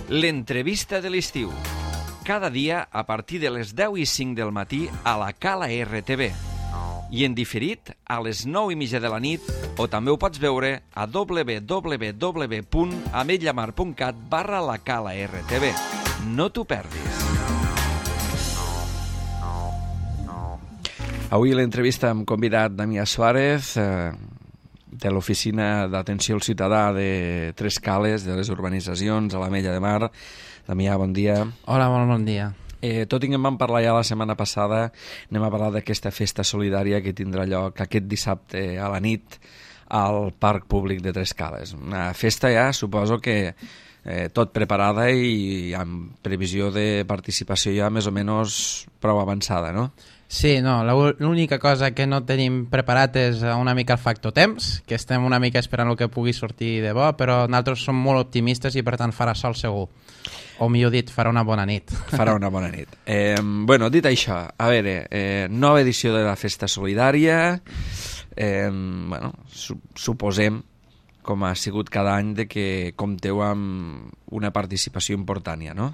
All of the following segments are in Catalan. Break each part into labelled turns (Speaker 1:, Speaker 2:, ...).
Speaker 1: L'entrevista de l'estiu. Cada dia a partir de les 10:05 del matí a la Cala RTV. I en diferit a les 9:30 de la nit, o també ho pots veure a www.ametlllamar.cat/la Cala RTV. No t'ho perdis. Avui l'entrevista hem convidat Damià Suárez, de l'Oficina d'Atenció al Ciutadà de Tres Cales, de les urbanitzacions a l'Ametlla de Mar. Damià, bon dia.
Speaker 2: Hola, molt bon dia.
Speaker 1: Tot i que en vam parlar ja la setmana passada, anem a parlar d'aquesta festa solidària que tindrà lloc aquest dissabte a la nit al Parc Públic de Tres Cales. Una festa ja, suposo que tot preparada i amb previsió de participació ja més o menys prou avançada, no?
Speaker 2: Sí, no, l'única cosa que no tenim preparat és una mica el factor temps, que estem una mica esperant el que pugui sortir de bo, però nosaltres som molt optimistes i per tant farà sol segur. O millor dit, farà una bona nit.
Speaker 1: Farà una bona nit. Bueno, dit això, a veure, nova edició de la Festa Solidària, bueno, suposem, com ha sigut cada any, de que compteu amb una participació important, no?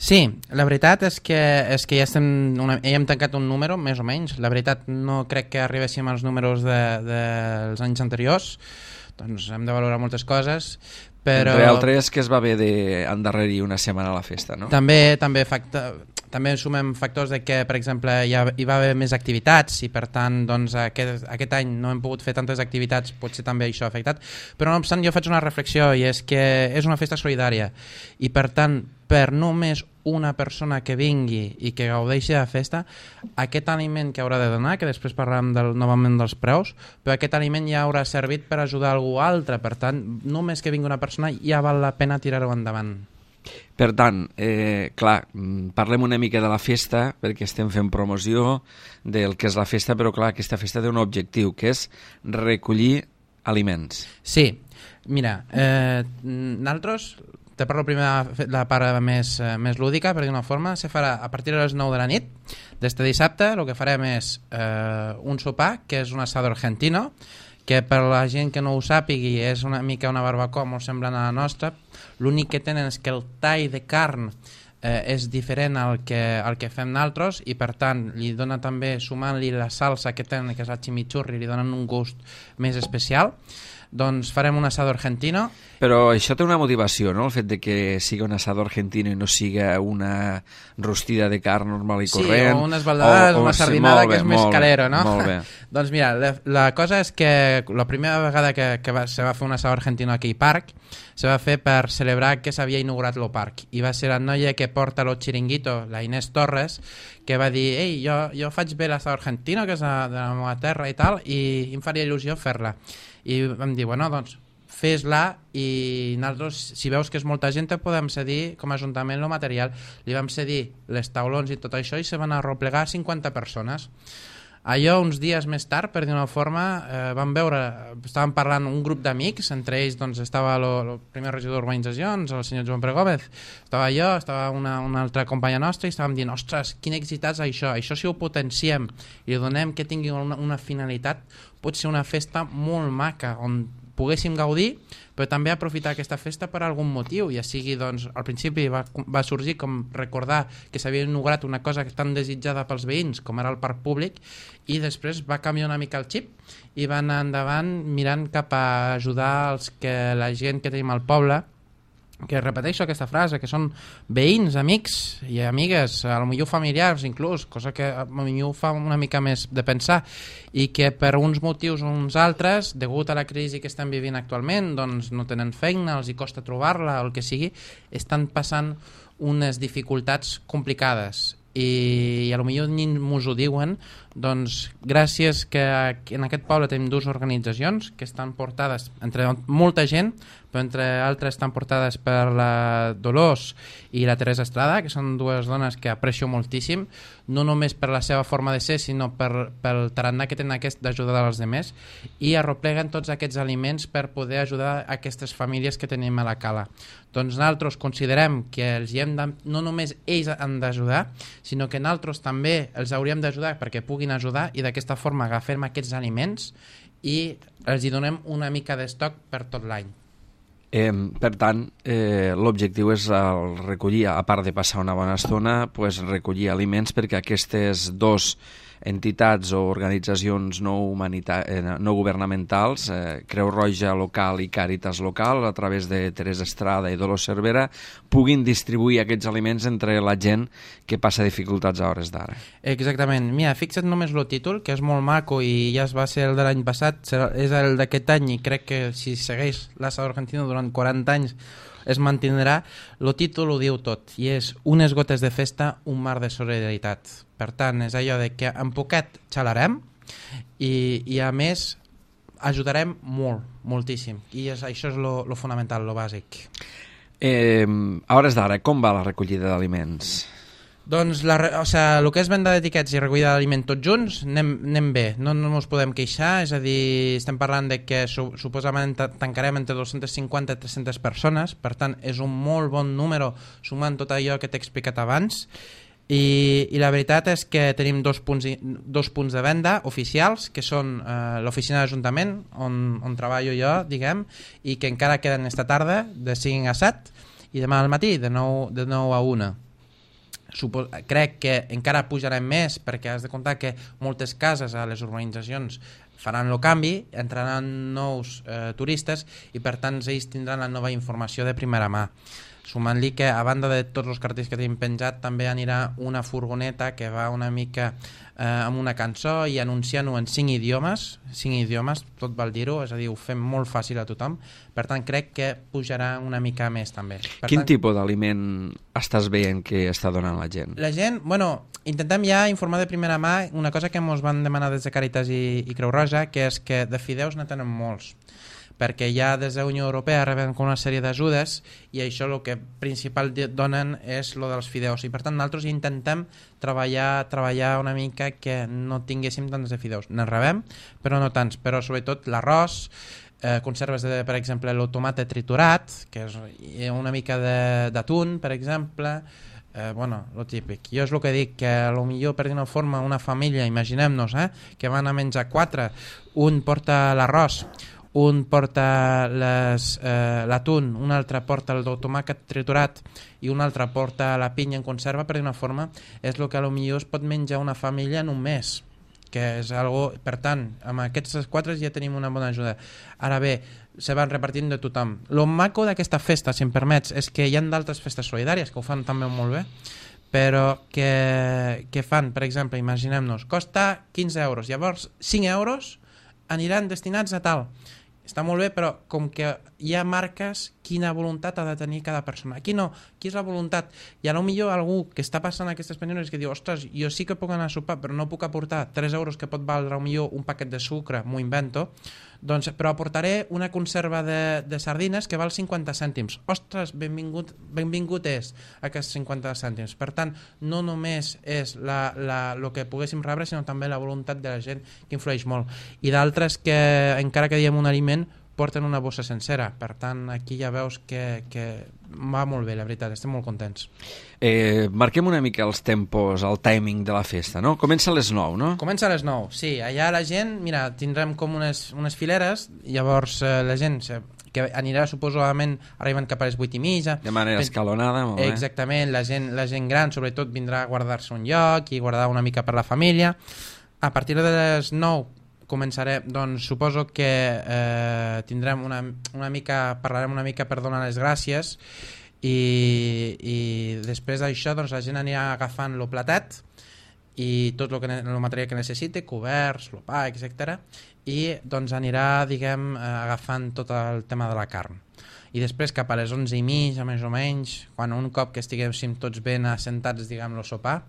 Speaker 2: Sí, la veritat és que ja hem tancat un número, més o menys. La veritat no crec que arribéssim als números dels anys anteriors, doncs hem de valorar moltes coses, però...
Speaker 1: Entre altres que es va haver d'endarrerir una setmana a la festa, no?
Speaker 2: També sumem factors de que, per exemple, hi va haver més activitats i, per tant, doncs, aquest any no hem pogut fer tantes activitats, potser també això ha afectat. Però, no obstant, jo faig una reflexió i és que és una festa solidària i, per tant, per només una persona que vingui i que gaudeixi de la festa, aquest aliment que haurà de donar, que després parlarem novament dels preus, però aquest aliment ja haurà servit per ajudar algú altre. Per tant, només que vingui una persona ja val la pena tirar-ho endavant.
Speaker 1: Per tant, clar, parlem una mica de la festa, perquè estem fent promoció del que és la festa, però clar, aquesta festa té un objectiu, que és recollir aliments.
Speaker 2: Sí, mira, nosaltres, te parlo primer de la part més lúdica, per dir una forma, se farà a partir de les 9 de la nit, d'este dissabte. El que farem és un sopar, que és un asado argentino, que per la gent que no ho sàpigui és una mica una barbacoa molt semblant a la nostra. L'únic que tenen és que el tall de carn és diferent al que fem nosaltres i, per tant, li dona també, sumant-li la salsa que tenen, que és el chimichurri, li donen un gust més especial. Doncs farem un asado argentino.
Speaker 1: Però això té una motivació, no? El fet de que sigui un asado argentino i no siga una rostida de carn normal i corrent.
Speaker 2: Sí, o unes baldades, una sardinada, que és més calero, no?
Speaker 1: Molt bé.
Speaker 2: Doncs mira, la cosa és que la primera vegada que se va fer un asado argentino aquí al parc, se va fer per celebrar que s'havia inaugurat el parc. I va ser la noia que porta el xiringuito, la Inés Torres, que va dir: ei, jo faig bé l'asado argentino, que és de la meva terra i tal, i em faria il·lusió fer-la. I vam dir, bueno, doncs fes-la, i nosaltres, si veus que és molta gent, te podem cedir com a ajuntament el material. Li vam cedir les taulons i tot això i se van arreplegar 50 persones. Allò, uns dies més tard, per dir una forma, vam veure, estàvem parlant un grup d'amics, entre ells doncs, estava el primer regidor d'urbanitzacions, el senyor Joan Pere Gómez, estava jo, estava una altra companya nostra, i estàvem dient: ostres, quin èxit és això si ho potenciem i donem que tingui una finalitat, pot ser una festa molt maca, on poguéssim gaudir, però també aprofitar aquesta festa per algun motiu, ja sigui, doncs, al principi va sorgir com recordar que s'havia inaugurat una cosa tan desitjada pels veïns com era el parc públic, i després va canviar una mica el xip i va anar endavant mirant cap a ajudar la gent que tenim al poble, que repeteixo aquesta frase, que són veïns, amics i amigues, potser familiars inclús, cosa que potser ho fa una mica més de pensar, i que per uns motius o uns altres, degut a la crisi que estem vivint actualment, doncs no tenen feina, els hi costa trobar-la, o el que sigui, estan passant unes dificultats complicades. I potser ni mos ho diuen, doncs gràcies que en aquest poble tenim dues organitzacions que estan portades entre molta gent, però entre altres estan portades per la Dolors i la Teresa Estrada, que són dues dones que aprecio moltíssim, no només per la seva forma de ser, sinó pel tarannà que tenen d'ajudar als altres, i arropleguen tots aquests aliments per poder ajudar aquestes famílies que tenim a la cala. Doncs nosaltres considerem que no només ells han d'ajudar, sinó que nosaltres també els hauríem d'ajudar perquè puguin ajudar, i d'aquesta forma agafem aquests aliments i els hi donem una mica d'estoc per tot l'any.
Speaker 1: Per tant, l'objectiu és recollir, a part de passar una bona estona, recollir aliments perquè aquestes dues entitats o organitzacions no governamentals, Creu Roja local i Càritas local, a través de Teresa Estrada i Dolors Cervera, puguin distribuir aquests aliments entre la gent que passa dificultats a hores d'ara.
Speaker 2: Exactament. Mira, fixa't només el títol, que és molt maco i ja va ser el de l'any passat, és el d'aquest any i crec que si segueix l'Asador Argentino durant 40 anys es mantindrà. El títol ho diu tot i és Unes gotes de festa, un mar de solidaritat. Per tant, és allò de que en poquet xalarem i a més ajudarem molt, moltíssim. I això és lo fonamental, lo bàsic.
Speaker 1: A hores d'ara, com va la recollida d'aliments?
Speaker 2: Doncs el que és venda d'etiquets i recollida d'aliment tots junts anem bé, no ens podem queixar, és a dir, estem parlant de que suposadament tancarem entre 250 i 300 persones, per tant és un molt bon número sumant tot allò que t'he explicat abans i la veritat és que tenim dos punts de venda oficials que són l'oficina d'Ajuntament on treballo jo, diguem, i que encara queden esta tarda de 5 a 7 i demà al matí de 9 a 1. Crec que encara pujarem més perquè has de comptar que moltes cases a les urbanitzacions faran el canvi, entraran nous turistes i per tant ells tindran la nova informació de primera mà. Sumant-li que a banda de tots els cartells que tenim penjat també anirà una furgoneta que va una mica amb una cançó i anunciant-ho en 5 idiomes, tot val dir-ho, és a dir, ho fem molt fàcil a tothom, per tant crec que pujarà una mica més també.
Speaker 1: Quin tipus d'aliment estàs veient que està donant la gent?
Speaker 2: La gent, intentem ja informar de primera mà una cosa que ens van demanar des de Càritas i Creu Roja, que és que de fideus ne tenen molts, perquè ja des de la Unió Europea reben una sèrie d'ajudes i això el que principal donen és el dels fideus i per tant nosaltres intentem treballar una mica que no tinguéssim tants de fideus. Ne rebem, però no tants, però sobretot l'arròs, conserves de, per exemple, el tomate triturat, que és una mica d'atún, per exemple, lo típic. Jo és el que dic, que potser per d'una forma una família, imaginem-nos, que van a menjar 4, un porta l'arròs, un porta l'atún, un altre porta el tomàquet triturat i un altre porta la pinya en conserva, per d'una forma és el que potser es pot menjar una família en un mes, que és algo, per tant, amb aquests 4 ja tenim una bona ajuda. Ara bé, se van repartint de tothom. Lo maco d'aquesta festa, si em permets, és que hi ha d'altres festes solidàries que ho fan també molt bé, però que fan, per exemple, imaginem-nos, costa 15 euros, llavors 5 euros aniran destinats a tal. Està molt bé, però com que ja marques quina voluntat ha de tenir cada persona. Aquí no, aquí és la voluntat. I potser algú que està passant aquestes penures que diu, ostres, jo sí que puc anar a sopar, però no puc aportar 3 euros que pot valdre potser un paquet de sucre, m'ho invento, doncs, però aportaré una conserva de sardines que val 50 cèntims. Ostres, benvingut és aquests 50 cèntims. Per tant, no només és el que poguéssim rebre, sinó també la voluntat de la gent que influeix molt. I d'altres que, encara que diem un aliment, porten una bossa sencera. Per tant, aquí ja veus que va molt bé, la veritat, estem molt contents.
Speaker 1: Marquem una mica els tempos, el timing de la festa, no? Comença a les 9, no?
Speaker 2: Comença a les 9, sí. Allà la gent, mira, tindrem com unes fileres, llavors la gent que anirà suposadament arribant cap a les 8:30.
Speaker 1: De manera escalonada, molt bé.
Speaker 2: Exactament, la gent gran sobretot vindrà a guardar-se un lloc i guardar una mica per la família. A partir de les 9 començarem, doncs suposo que tindrem parlarem una mica per donar les gràcies i després d'això doncs la gent anirà agafant el platet i tot el material que necessite, coberts, el pa, etc. I doncs anirà, diguem, agafant tot el tema de la carn. I després cap a les 11:30, més o menys, quan un cop que estiguéssim tots ben assentats, diguem, el sopar,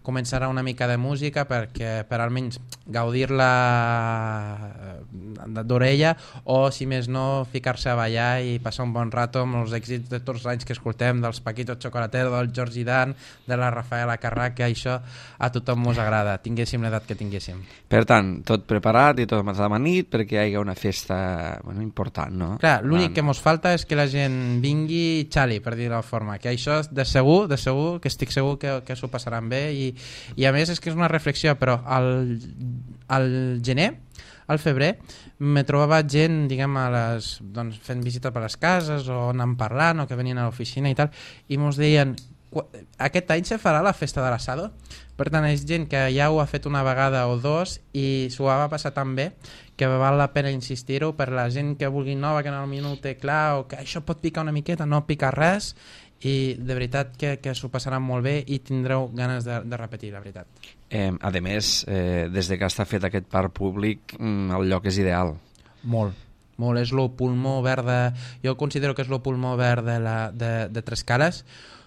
Speaker 2: començarà una mica de música per almenys gaudir-la d'orella o, si més no, ficar-se a ballar i passar un bon rato amb els èxits de tots els anys que escoltem, dels Paquito Chocolatero, del George Dan, de la Rafaela Carrà, que això a tothom mos agrada, tinguéssim l'edat que tinguéssim.
Speaker 1: Per tant, tot preparat i tot amanit perquè hi hagi una festa important, no?
Speaker 2: Clar, l'únic que mos falta és que la gent vingui i xali, per dir-ho de forma, que això de segur, que estic segur que s'ho passaran bé i a més és que és una reflexió, però al gener al febrer, me trobava gent, diguem, doncs, fent visita per les cases o anant parlant o que venien a l'oficina i tal, i mos deien, aquest any se farà la festa de l'assado? Per tant, és gent que ja ho ha fet una vegada o dos i s'ho va passar tan bé que val la pena insistir-ho per la gent que vulgui nova, que potser no ho té clar o que això pot picar una miqueta, no pica res, i de veritat que s'ho passaran molt bé i tindreu ganes de repetir, la veritat.
Speaker 1: A més, des de que està fet aquest parc públic, el lloc és ideal.
Speaker 2: Molt, és el pulmó verd jo considero que és el pulmó verd de Trescales.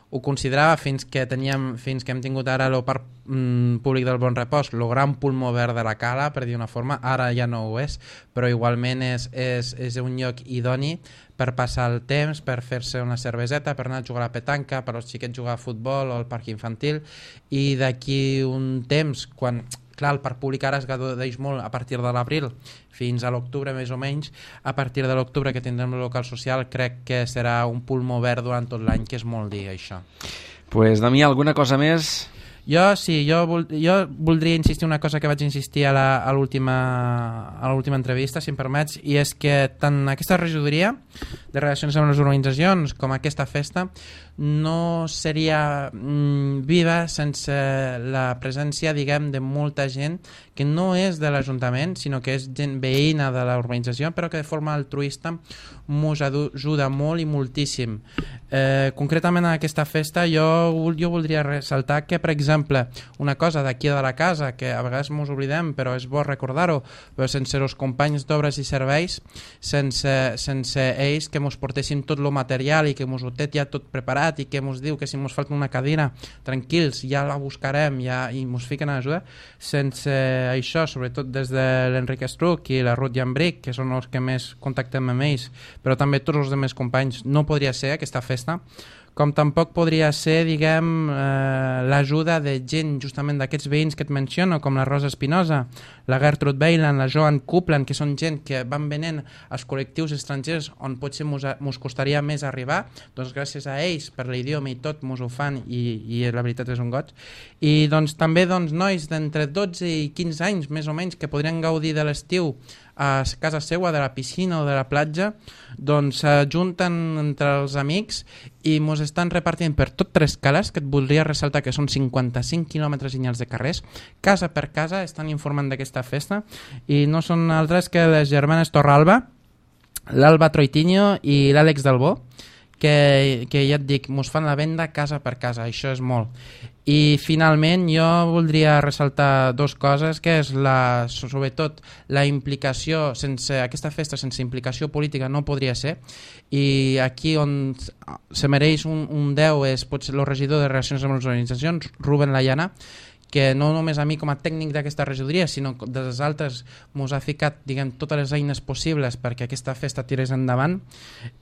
Speaker 2: Ho considerava fins que hem tingut ara el parc públic del Bon Repòs, el gran pulmó verd de la Cala, per dir una forma. Ara ja no ho és, però igualment és un lloc idoni per passar el temps, per fer-se una cerveseta, per anar a jugar a la petanca, per als xiquets jugar a futbol o al parc infantil, i d'aquí un temps, quan... Clar, el parc públic ara es gaudeix molt a partir de l'abril fins a l'octubre més o menys. A partir de l'octubre que tindrem el local social crec que serà un pulmó verd durant tot l'any, que és molt dir això.
Speaker 1: Pues, Damià, alguna cosa més?
Speaker 2: Jo voldria insistir una cosa que vaig insistir a l'última entrevista, si em permets, i és que tant aquesta regidoria de relacions amb les organitzacions com aquesta festa no seria viva sense la presència, diguem, de molta gent que no és de l'Ajuntament, sinó que és gent veïna de l'organització, però que de forma altruista mos ajuda molt i moltíssim. Concretament en aquesta festa jo voldria ressaltar que, per exemple, una cosa d'aquí de la casa, que a vegades mos oblidem, però és bo recordar-ho, però sense els companys d'obres i serveis, sense ells que mos portéssim tot el material i que mos ho té ja tot preparat i que mos diu que si mos falta una cadira, tranquils, ja la buscarem i mos fiquen a ajuda. Sense això, sobretot des de l'Enric Estruc i la Ruth Llambric, que són els que més contactem amb ells, però també tots els altres companys, no podria ser aquesta festa, com tampoc podria ser, diguem, l'ajuda de gent justament d'aquests veïns que et menciono, com la Rosa Espinosa, la Gertrude Beiland, la Joan Coupland, que són gent que van venent als col·lectius estrangers on potser mos costaria més arribar, doncs gràcies a ells, per l'idioma i tot, mos ho fan i la veritat és un goig. I doncs també nois d'entre 12 i 15 anys, més o menys, que podrien gaudir de l'estiu a casa seua, de la piscina o de la platja, doncs s'ajunten entre els amics i mos estan repartint per tot Trescales, que et voldria ressaltar que són 55 quilòmetres lineals de carrers, casa per casa estan informant d'aquesta festa, i no són altres que les germanes Torralba, l'Alba Troitiño i l'Àlex Dalbó, que ja et dic, mos fan la venda casa per casa, això és molt. I finalment jo voldria ressaltar dues coses, que és sobretot la implicació, aquesta festa sense implicació política no podria ser, i aquí on se mereix un 10 és potser el regidor de Relacions amb les Organitzacions, Rubén Layana, que no només a mi com a tècnic d'aquesta regidoria, sinó dels altres mos ha ficat, diguem, totes les eines possibles perquè aquesta festa tirés endavant.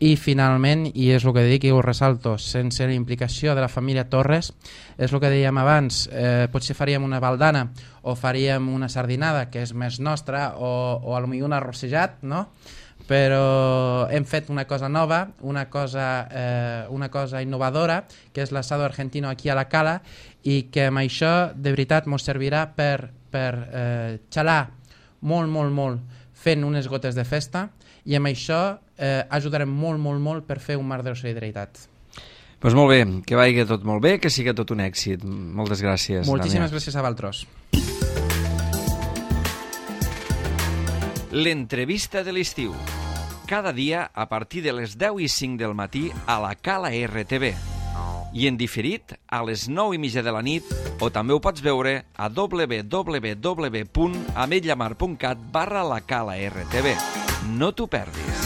Speaker 2: I finalment, i és el que dic i ho ressalto, sense la implicació de la família Torres, és el que dèiem abans, potser faríem una baldana o faríem una sardinada, que és més nostra, o potser un arrossejat, no? Però hem fet una cosa nova, una cosa innovadora, que és l'asado argentino aquí a la Cala, i que amb això de veritat ens servirà per xalar molt fent unes gotes de festa, i amb això ajudarem molt per fer un mar de solidaritat.
Speaker 1: Doncs molt bé, que vagi tot molt bé, que sigui tot un èxit. Moltes gràcies.
Speaker 2: Moltíssimes gràcies a vosaltres.
Speaker 1: L'entrevista de l'estiu. Cada dia a partir de les 10:05 del matí a la Cala RTV. I en diferit a les 9:30 de la nit, o també ho pots veure a www.ametlllamar.cat/la Cala RTV. No t'ho perdis.